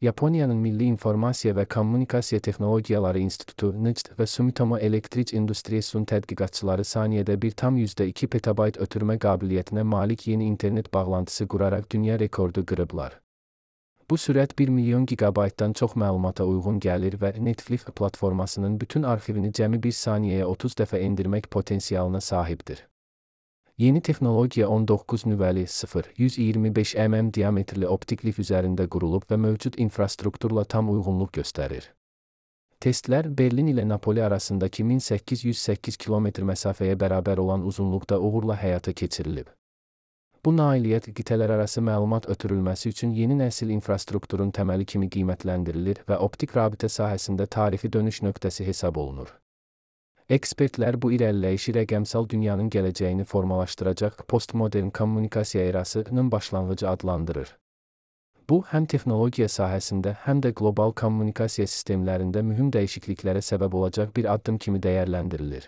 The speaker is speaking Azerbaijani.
Yaponiyanın Milli İnformasiya və Kommunikasiya Texnologiyaları İnstitutu (NICT) və Sumitomo Electric Industries'un tədqiqatçıları saniyədə 1,2 petabayt ötürmə qabiliyyətinə malik yeni internet bağlantısı quraraq dünya rekordu qırıblar. Bu sürət 1 milyon gigabaytdan çox məlumata uyğun gəlir və Netflix platformasının bütün arxivini cəmi 1 saniyəyə 30 dəfə endirmək potensialına sahibdir. Yeni texnologiya 19 nüvəli 125 mm diametrli optik lif üzərində qurulub və mövcud infrastrukturla tam uyğunluq göstərir. Testlər Berlin ilə Napoli arasındakı 1808 km məsafəyə bərabər olan uzunluqda uğurla həyata keçirilib. Bu nailiyyət qitələrarası məlumat ötürülməsi üçün yeni nəsil infrastrukturun təməli kimi qiymətləndirilir və optik rabitə sahəsində tarixi dönüş nöqtəsi hesab olunur. Ekspertlər bu irəliləyişi rəqəmsal dünyanın gələcəyini formalaşdıracaq postmodern kommunikasiya erasının başlanğıcı adlandırır. Bu, həm texnologiya sahəsində, həm də qlobal kommunikasiya sistemlərində mühüm dəyişikliklərə səbəb olacaq bir addım kimi dəyərləndirilir.